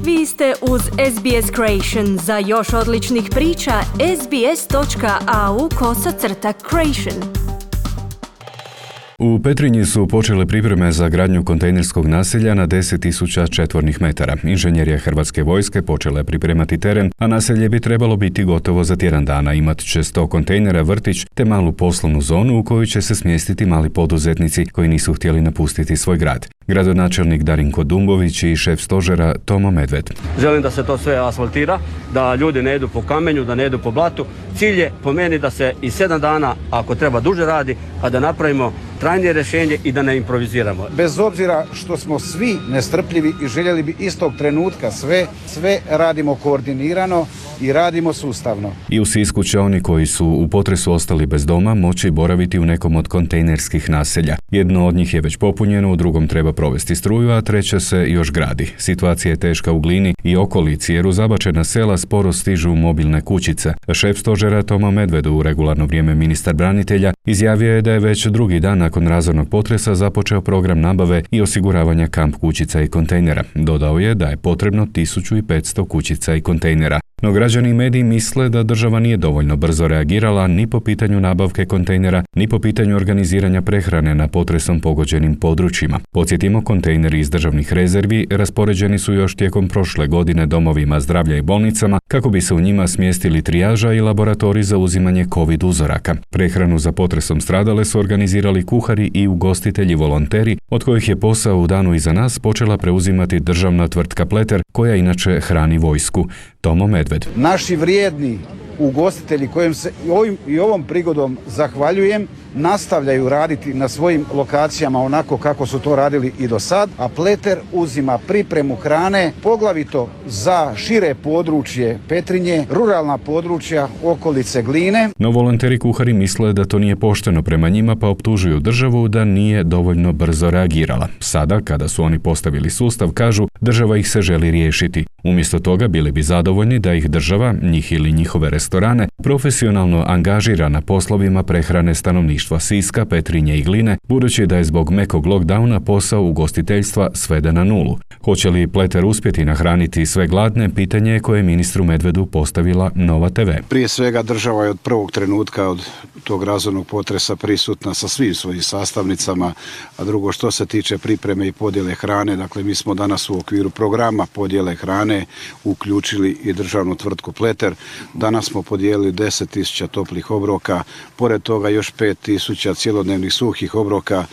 Vi ste uz SBS Creation. Za još odličnih priča, sbs.au/creation. U Petrinji su počele pripreme za gradnju kontejnerskog naselja na 10.000 četvornih metara. Inženjerija Hrvatske vojske počela je pripremati teren, a naselje bi trebalo biti gotovo za tjedan dana. Imat će 100 kontejnera, vrtić te malu poslovnu zonu u koju će se smjestiti mali poduzetnici koji nisu htjeli napustiti svoj grad. Gradonačelnik Darinko Dumbović i šef stožera Tomo Medved. Želim da se to sve asfaltira, da ljudi ne idu po kamenju, da ne idu po blatu. Cilj je po meni da se i 7 dana, ako treba duže radi, a da napravimo trajnije rješenje i da ne improviziramo. Bez obzira što smo svi nestrpljivi i željeli bi istog trenutka sve radimo koordinirano i radimo sustavno. I u Sisku će oni koji su u potresu ostali bez doma moći boraviti u nekom od kontejnerskih naselja. Jedno od njih je već popunjeno, u drugom treba provesti struju, a treće se još gradi. Situacija je teška u Glini i okolici jer u zabačena sela sporo stižu mobilne kućice. Šef stožera Tomo Medved, u regularno vrijeme ministar branitelja, izjavio je da je već drugi dan nakon razornog potresa započeo program nabave i osiguravanja kamp kućica i kontejnera. Dodao je da je potrebno 1500 kućica i kontejnera. No građani i mediji misle da država nije dovoljno brzo reagirala ni po pitanju nabavke kontejnera, ni po pitanju organiziranja prehrane na potresom pogođenim područjima. Podsjetimo, kontejneri iz državnih rezervi raspoređeni su još tijekom prošle godine domovima zdravlja i bolnicama kako bi se u njima smjestili trijaža i laboratorij za uzimanje COVID uzoraka. Prehranu za potresom stradale su organizirali kuhari i ugostitelji volonteri, od kojih je posao u danu iza nas počela preuzimati državna tvrtka Pleter, koja inače hrani vojsku. Tomo Medved. Naši vrijedni ugostitelji kojim se ovom prigodom zahvaljujem, nastavljaju raditi na svojim lokacijama onako kako su to radili i do sad, a Pleter uzima pripremu hrane poglavito za šire područje Petrinje, ruralna područja okolice Gline. No volonteri kuhari misle da to nije pošteno prema njima, pa optužuju državu da nije dovoljno brzo reagirala. Sada, kada su oni postavili sustav, kažu država ih se želi riješiti. Umjesto toga bili bi zadovoljni da ih država, njih ili njihove restorane, profesionalno angažira na poslovima prehrane stanovništva Siska, Petrinje i Gline, budući da je zbog mekog lockdowna posao ugostiteljstva sveden na nulu. Hoće li Pleter uspjeti nahraniti sve gladne, pitanje je koje je ministru Medvedu postavila Nova TV. Prije svega država je od prvog trenutka od tog razornog potresa prisutna sa svim svojim sastavnicama, a drugo što se tiče pripreme i podjele hrane, dakle mi smo danas u okviru programa podjele hrane uključili i državnu tvrtku Pleter. Danas smo podijelili 10.000 toplih obroka, pored toga još 5.000 cjelodnevnih suhih obroka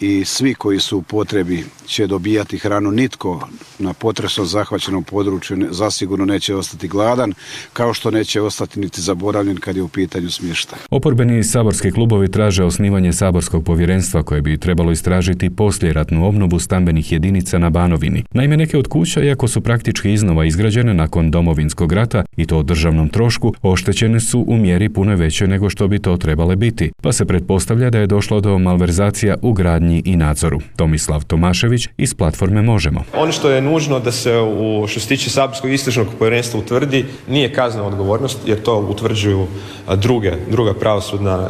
i svi koji su u potrebi će dobijati hranu. Nitko na potresom zahvaćenom području zasigurno neće ostati gladan, kao što neće ostati niti zaboravljen kad je u pitanju smještaj. Oporbeni saborski klubovi traže osnivanje saborskog povjerenstva koje bi trebalo istražiti poslijeratnu obnovu stambenih jedinica na Banovini. Naime, neke od kuća, iako su praktički iznova izgrađene nakon Domovinskog rata i to o državnom trošku, oštećene su u mjeri puno veće nego što bi to trebale biti, pa se pretpostavlja da je došlo do malverzacija u gradnji i nadzoru. Tomislav Tomašević iz platforme Možemo. Ono što je nužno da se što se tiče saborskog istražnog povjerenstva utvrdi nije kaznena odgovornost, jer to utvrđuju druga pravosudna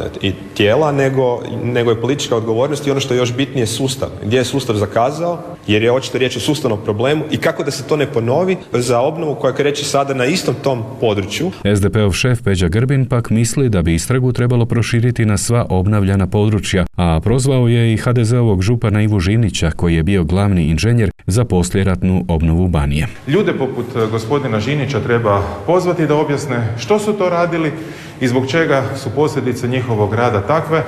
tijela, nego je politička odgovornost i ono što je još bitnije sustav. Gdje je sustav zakazao, jer je očito riječ o sustavnom problemu i kako da se to ne ponovi za obnovu koja kreće sada na istom tom području. SDP-ov šef Peđa Grbin pak misli da bi istragu trebalo proširiti na sva obnavljana područja, a prozvao je i HDZ-ovog župana Ivu Žinića, koji je bio glavni inženjer za poslijeratnu obnovu Banije. Ljude poput gospodina Žinića treba pozvati da objasne što su to radili i zbog čega su posljedice njihovog rada takve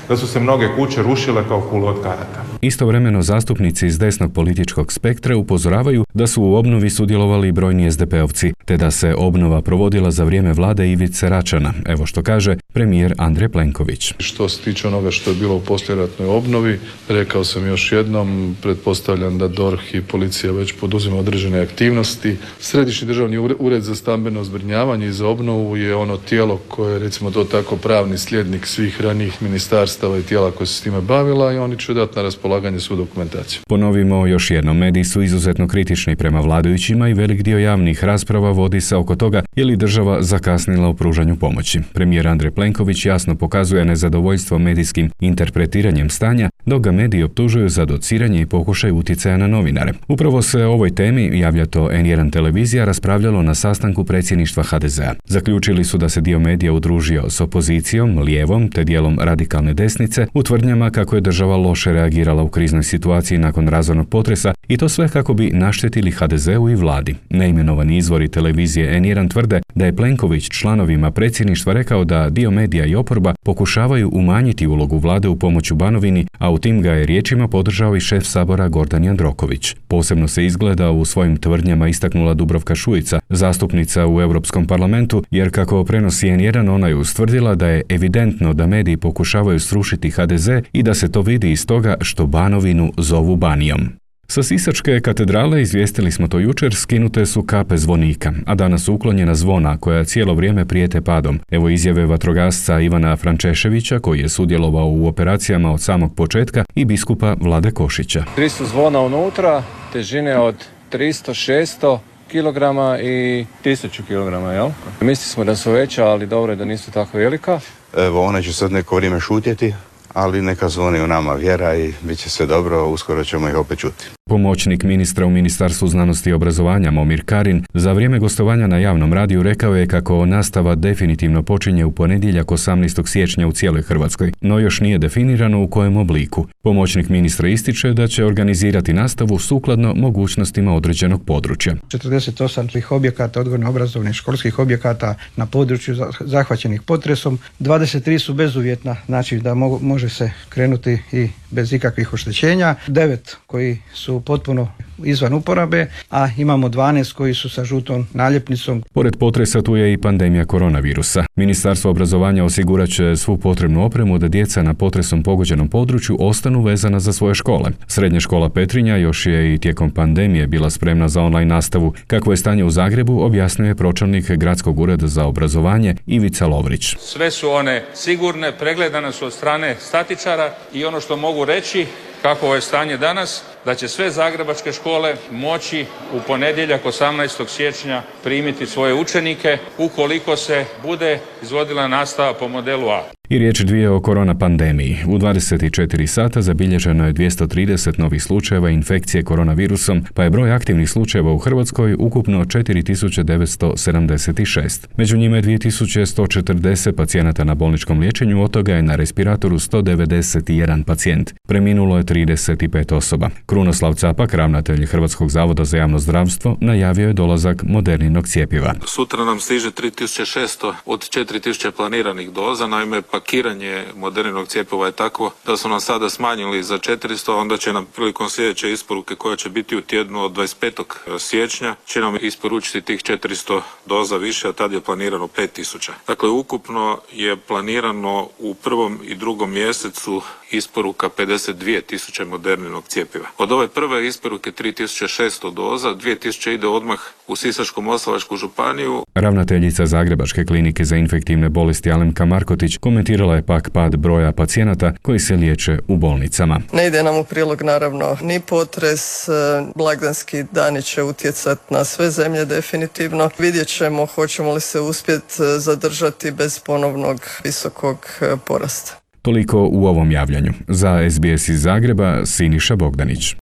da su se mnoge kuće rušile kao kule od karata. Istovremeno zastupnici iz desnog političkog spektra upozoravaju da su u obnovi sudjelovali i brojni SDP-ovci, te da se obnova provodila za vrijeme vlade Ivice Račana. Evo što kaže premijer Andrej Plenković. Što se tiče onoga što je bilo u poslijeratnoj obnovi, rekao sam još jednom, pretpostavljam da DORH i policija već poduzima određene aktivnosti. Središnji državni ured za stambeno zbrinjavanje i za obnovu je ono tijelo koje je, recimo to tako, pravni slijednik svih ranijih ministarstava i tijela koje se s time bavila i oni će dati na raspolaganje svu dokumentaciju. Ponovimo još jednom, mediji su izuzetno kritični prema vladajućima i velik dio javnih rasprava vodi se oko toga je li država zakasnila u pružanju pomoći. Premijer Andrej Plenković jasno pokazuje nezadovoljstvo medijskim interpretiranjem stanja, dok ga mediji optužuju za dociranje i pokušaj utjecaja na novinare. Upravo se o ovoj temi, javlja to N1 televizija, raspravljalo na sastanku predsjedništva HDZ-a. Zaključili su da se dio medija udružio s opozicijom, lijevom te dijelom radikalne desnice u tvrdnjama kako je država loše reagirala u kriznoj situaciji nakon razornog potresa i to sve kako bi naštetili HDZ-u i vladi. Neimenovani izvori televizije N1 tvrde da je Plenković članovima predsjedništva rekao da dio medija i oporba pokušavaju umanjiti ulogu vlade u pomoću Banovini, a u tim ga je riječima podržao i šef Sabora Gordan Jandroković. Posebno se izgleda u svojim tvrdnjama istaknula Dubravka Šuica, zastupnica u Europskom parlamentu, jer kako prenosi N1, ona je ustvrdila da je evidentno da mediji pokušavaju srušiti HDZ i da se to vidi iz toga što Banovinu zovu Banijom. Sa Sisačke katedrale, izvijestili smo to jučer, skinute su kape zvonika, a danas su uklonjena zvona koja cijelo vrijeme prijete padom. Evo izjave vatrogasca Ivana Frančeševića, koji je sudjelovao u operacijama od samog početka, i biskupa Vlade Košića. 300 zvona unutra, težine od 300-600 kilograma i 1000 kilograma, jel? Mislili smo da su veća, ali dobro je da nisu tako velika. Evo, ona će sad neko vrijeme šutjeti, ali neka zvoni u nama vjera i bit će sve dobro, uskoro ćemo ih opet čuti. Pomoćnik ministra u Ministarstvu znanosti i obrazovanja Momir Karin za vrijeme gostovanja na javnom radiju rekao je kako nastava definitivno počinje u ponedjeljak 18. siječnja u cijeloj Hrvatskoj, no još nije definirano u kojem obliku. Pomoćnik ministra ističe da će organizirati nastavu sukladno mogućnostima određenog područja. 48 objekata, odgojno-obrazovnih školskih objekata na području zahvaćenih potresom, 23 su bezuvjetna, znači da može se krenuti i bez ikakvih oštećenja, 9 koji su potpuno izvan uporabe, a imamo 12 koji su sa žutom naljepnicom. Pored potresa tu je i pandemija koronavirusa. Ministarstvo obrazovanja osigurat će svu potrebnu opremu da djeca na potresom pogođenom području ostanu vezana za svoje škole. Srednja škola Petrinja još je i tijekom pandemije bila spremna za online nastavu. Kakvo je stanje u Zagrebu, objasnio pročelnik Gradskog ureda za obrazovanje Ivica Lovrić. Sve su one sigurne, pregledane su od strane statičara i ono što mogu reći kako je stanje danas, da će sve zagrebačke škole moći u ponedjeljak 18. siječnja primiti svoje učenike ukoliko se bude izvodila nastava po modelu A. I riječ dvije o korona pandemiji. U 24 sata zabilježeno je 230 novih slučajeva infekcije koronavirusom, pa je broj aktivnih slučajeva u Hrvatskoj ukupno 4976. Među njima je 2140 pacijenata na bolničkom liječenju, od toga je na respiratoru 191 pacijent. Preminulo je 35 osoba. Krunoslav Capak, ravnatelj Hrvatskog zavoda za javno zdravstvo, najavio je dolazak Moderninog cjepiva. Sutra nam stiže 3600 od 4000 planiranih doza, naime pakiranje Moderninog cjepiva je takvo da su nam sada smanjili za 400, onda će nam prilikom sljedeće isporuke koja će biti u tjednu od 25. siječnja će nam isporučiti tih 400 doza više, a tad je planirano 5000. Dakle, ukupno je planirano u prvom i drugom mjesecu isporuka 52.000 Moderninog cjepiva. Od ove prve isporuke 3600 doza, 2000 ide odmah u Sisačko-moslavačku županiju. Ravnateljica Zagrebačke klinike za infektivne bolesti Alemka Markotić komentirala je pak pad broja pacijenata koji se liječe u bolnicama. Ne ide nam u prilog naravno ni potres, blagdanski dani će utjecati na sve zemlje definitivno. Vidjet ćemo hoćemo li se uspjeti zadržati bez ponovnog visokog porasta. Toliko u ovom javljanju. Za SBS iz Zagreba, Siniša Bogdanić.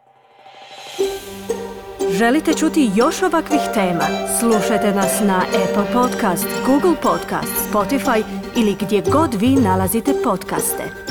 Želite čuti još ovakvih tema? Slušajte nas na Apple Podcast, Google Podcast, Spotify ili gdje god vi nalazite podcaste.